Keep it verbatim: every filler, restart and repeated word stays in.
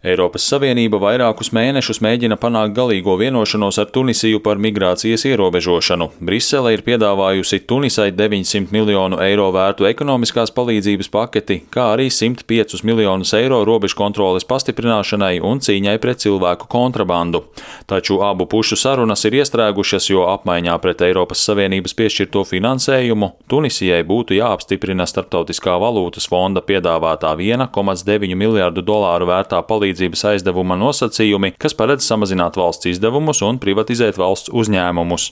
Eiropas Savienība vairākus mēnešus mēģina panākt galīgo vienošanos ar Tunisiju par migrācijas ierobežošanu. Brisele ir piedāvājusi Tunisai deviņsimt miljonu eiro vērtu ekonomiskās palīdzības paketi, kā arī simt piecus miljonus eiro robežkontroles pastiprināšanai un cīņai pret cilvēku kontrabandu. Taču abu pušu sarunas ir iestrēgušas, jo apmaiņā pret Eiropas Savienības piešķirto finansējumu Tunisijai būtu jāapstiprina Starptautiskā valūtas fonda piedāvātā viena komats deviņi miljārdu dolāru vērtā palīdzības aizdevuma nosacījumi, kas paredz samazināt valsts izdevumus un privatizēt valsts uzņēmumus.